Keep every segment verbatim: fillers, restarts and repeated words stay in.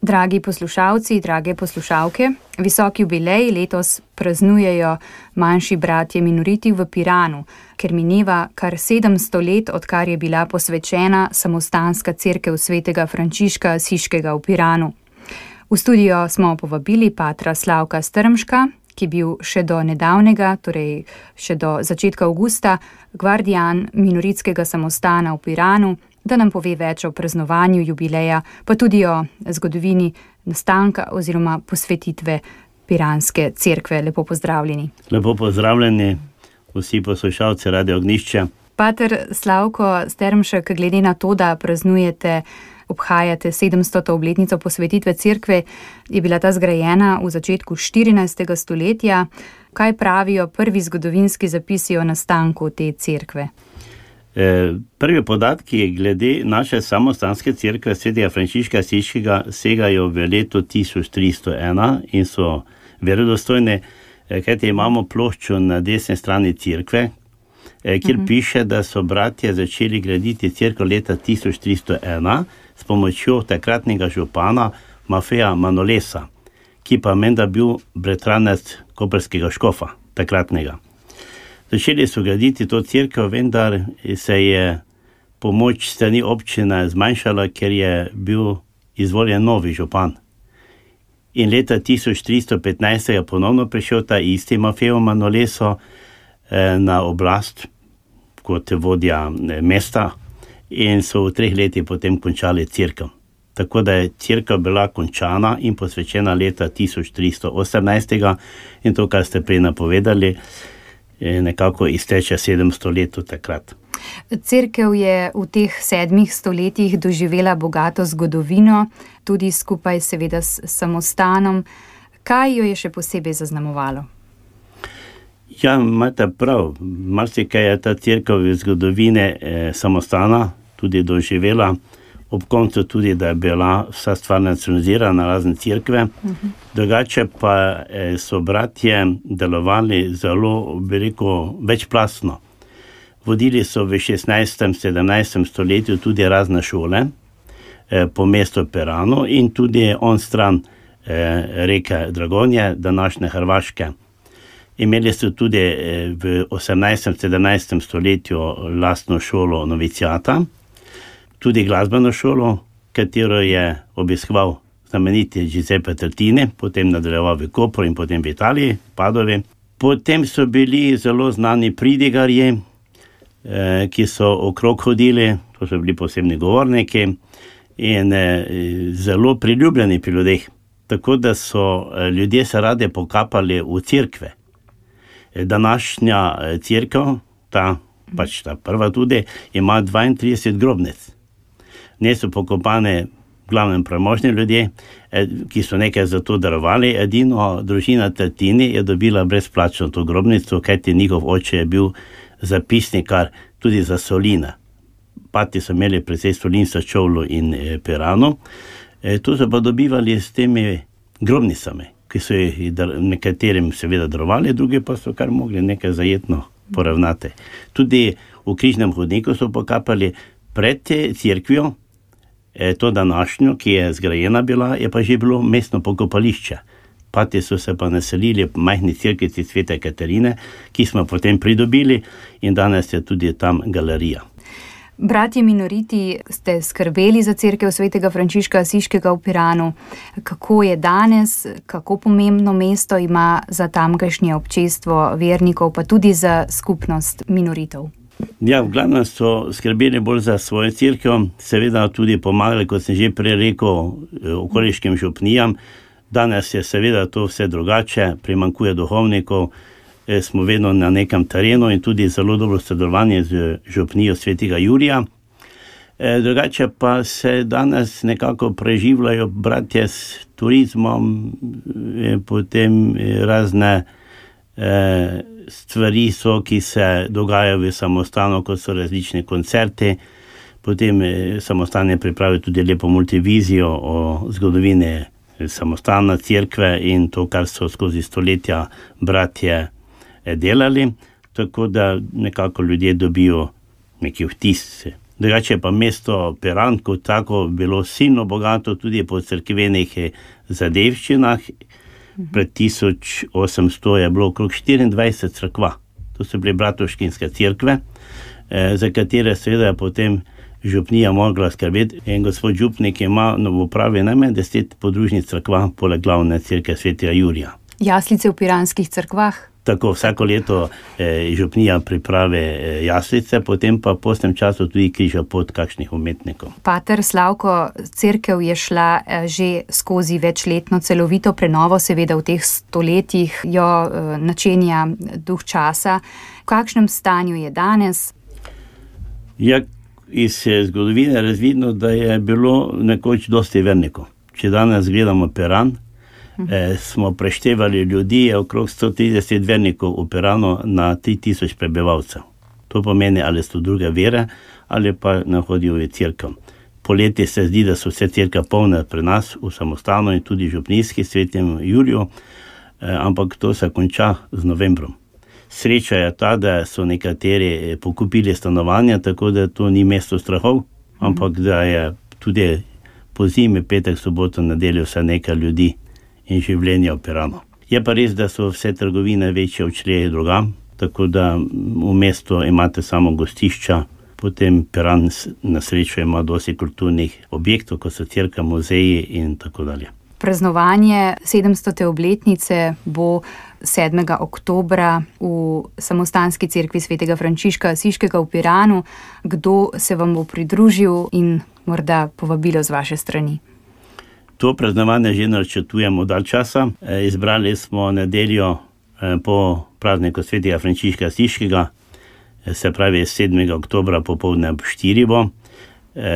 Dragi poslušalci, drage poslušalke, visoki jubilej letos praznujejo manjši bratje minoriti v Piranu, ker mineva kar sedemsto let, odkar je bila posvečena samostanska cerkev svetega Frančiška Asiškega v Piranu. V studio smo povabili patra Slavka Strmška, ki je bil še do nedavnega, torej še do začetka avgusta, gvardijan minoritskega samostana v Piranu, da nam pove več o praznovanju jubileja, pa tudi o zgodovini nastanka oziroma posvetitve piranske cerkve. Lepo pozdravljeni. Lepo pozdravljeni vsi poslušalci Radio Ognjišče. Pater Slavko Strmšek, glede na to, da praznujete, obhajate sedemstoto obletnico posvetitve cerkve, je bila ta zgrajena v začetku štirinajstega stoletja. Kaj pravijo prvi zgodovinski zapisi o nastanku te cerkve? Prvi podatki glede naše samostanske cerkve svetega Frančiška Asiškega segajo v leto tisoč tristo ena in so verodostojne, kajti imamo ploščo na desni strani cerkve, kjer uh-huh. piše, da so bratje začeli graditi cerkev leta tisoč tristo ena s pomočjo takratnega župana Mafeja Manolesa, ki pa menda bil bratranec koprskega škofa takratnega. Začeli so graditi to cerkev, vendar se je pomoč strani občine zmanjšala, ker je bil izvoljen novi župan. In leta tisoč tristo petnajst je ponovno prišel ta isti Mafejo Manoleso na oblast kot vodja mesta in so v treh letih potem končali cerkev. Tako da je cerkev bila končana in posvečena leta tisoč tristo osemnajst in to, kar ste prej napovedali, nekako izteče sedemsto let od takrat. Cerkev je v teh sedmih stoletjih doživela bogato zgodovino, tudi skupaj seveda s samostanom. Kaj jo je še posebej zaznamovalo? Ja, imate prav. Marsikaj je ta cerkev v zgodovine eh, samostana tudi doživela. Ob koncu tudi, da je bila vsa stvar nacionalizirana, razne cerkve. Uh-huh. Drugače pa eh, so bratje delovali zelo veliko večplastno. Vodili so v šestnajstem, sedemnajstem stoletju tudi razne šole eh, po mestu Piranu in tudi on stran eh, reke Dragonje, današnje Hrvaške. Imeli so tudi eh, v osemnajstem, sedemnajstem stoletju lastno šolo novicijata, tudi glasbeno šolo, katero je obiskoval znameniti Giuseppe Tartini, potem nadaljeval v Kopru in potem v Italiji, Padovi. Potem so bili zelo znani pridigarji, eh, ki so okrog hodili, to so bili posebni govorniki in eh, zelo priljubljeni pri ljudeh. Tako da so eh, ljudje se rade pokapali v cerkve. Eh, današnja eh, cerkev, ta, pač ta prva tudi, ima dvaintrideset grobnic. Ne so pokopane v glavnem premožni ljudje, ki so nekaj za to darovali. Edino družina Tartini je dobila brezplačno to grobnico, kajti njihov oče je bil zapisnikar tudi za Solina. Pati so imeli precej Solinca, Čovlu in eh, Piranu. E, to so pa dobivali s temi grobnicami, ki so jih dar, nekaterim seveda darovali, drugi pa so kar mogli nekaj zajetno poravnati. Tudi v križnem hodniku so pokapali pred cerkvijo. E, to današnjo, ki je zgrajena bila, je pa že bilo mestno pokopališče. Pati so se pa naselili v majhni cerkvici Svete Katarine, ki smo potem pridobili in danes je tudi tam galerija. Bratje minoriti ste skrbeli za cerkev svetega Frančiška Asiškega v Piranu. Kako je danes, kako pomembno mesto ima za tamkajšnje občestvo vernikov, pa tudi za skupnost minoritov? Ja, v glavnem so skrbeli bolj za svojo cerkev, seveda tudi pomagali, kot sem že prej rekel, okoliškim župnijam. Danes je seveda to vse drugače, primanjkuje duhovnikov, smo vedno na nekem terenu in tudi zelo dobro sodelovanje z župnijo svetega Jurija. Drugače pa se danes nekako preživljajo bratje s turizmom, potem razne stvari so, ki se dogajajo v samostanu, kot so različni koncerti. Potem samostan je pripravil tudi lepo multivizijo o zgodovini samostana, cerkve in to, kar so skozi stoletja bratje delali, tako da nekako ljudje dobijo neki vtis Drugače pa mesto Piran kot tako bilo silno bogato tudi po cerkvenih zadevščinah. Pred tisoč osemsto je bilo okrog štiriindvajset cerkva. To so bile bratovščinske cerkve, za katere seveda je potem župnija mogla skrbeti. In gospod župnik ima v upravi najmanj deset podružnic cerkva poleg glavne cerkve svetega Jurija. Jaslice v piranskih cerkvah? Tako vsako leto eh, župnija pripravi eh, jaslice, potem pa po tem času tudi križa pot kakšnih umetnikov. Pater Slavko, cerkev je šla eh, že skozi večletno celovito prenovo, seveda v teh stoletjih jo eh, načenja duh časa. V kakšnem stanju je danes? Ja, iz zgodovine je razvidno, da je bilo nekoč dosti vernikov. Če danes gledamo Piran, Eh, smo preštevali ljudi, je okrog sto trideset vernikov v Piranu na tri tisoč prebivalcev. To pomeni, ali so druge vere, ali pa ne hodijo v cerkev. Poleti se zdi, da so vse cerkve polne pri nas v samostanu in tudi župnijski svetem Juriju, eh, ampak to se konča z novembrom. Sreča je ta, da so nekateri pokupili stanovanja, tako da to ni mesto strahov, ampak da je tudi po zimi, petek, soboto, nedeljo vse nekaj ljudi in življenja v Piranu. Je pa res, da so vse trgovine večje odšle drugam, tako da v mestu imate samo gostišča, potem Piran na srečo ima dosti kulturnih objektov, kot so cerkve, muzeji in tako dalje. Praznovanje sedemstote obletnice bo sedmega oktobra v samostanski cerkvi svetega Frančiška Asiškega v Piranu. Kdo se vam bo pridružil in morda povabilo z vaše strani? To praznovanje že načrtujemo dalj časa. Izbrali smo nedeljo po prazniku svetega Frančiška Asiškega, se pravi sedmega oktobra popoldne ob štirih bo.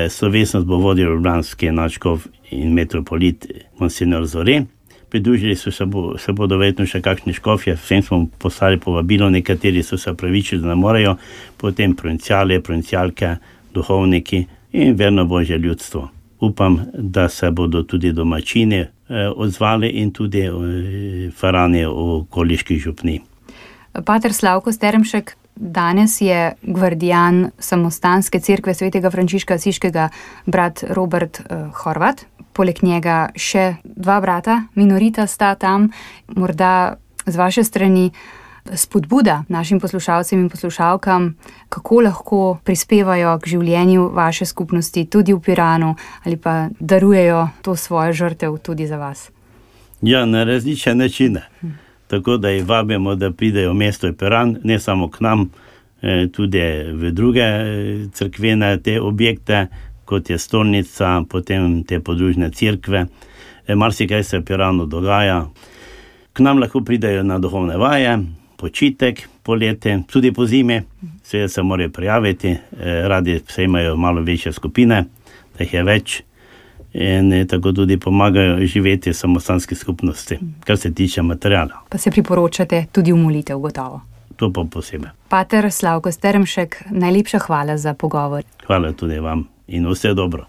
Slovesnost bo vodil ljubljanski nadškof in metropolit Monsignor Zore. Pridružili so se, bo, se bodo verjetno še kakšni škofje, vsem smo poslali povabilo, nekateri so se opravičili, da ne morejo, potem provinciale, provincialke, duhovniki in verno božje ljudstvo. Upam, da se bodo tudi domačini eh, odzvali in tudi eh, farani v okoliških župnij. Pater Slavko Stermšek, danes je gvardijan samostanske cerkve svetega Frančiška Asiškega brat Robert eh, Horvat. Poleg njega še dva brata, minorita sta tam. Morda z vaše strani spodbuda našim poslušalcem in poslušalkam, kako lahko prispevajo k življenju vaše skupnosti tudi v Piranu ali pa darujejo to svojo žrtev tudi za vas. Ja, na različne načine. Hm. Tako da jih vabimo, da pridejo v mesto Piran, ne samo k nam, tudi v druge cerkvene te objekte, kot je stolnica, potem te podružne cerkve. Marsikaj se v Piranu dogaja. K nam lahko pridejo na duhovne vaje, počitek, poletje, tudi po zimi, vse se morajo prijaviti, radi se imajo malo večje skupine, da jih je več in tako tudi pomagajo živeti v samostanski skupnosti, kar se tiče materijala. Pa se priporočate tudi v molitev, gotovo. To pa posebej. Pater Slavko Stermšek, najlepša hvala za pogovor. Hvala tudi vam in vse dobro.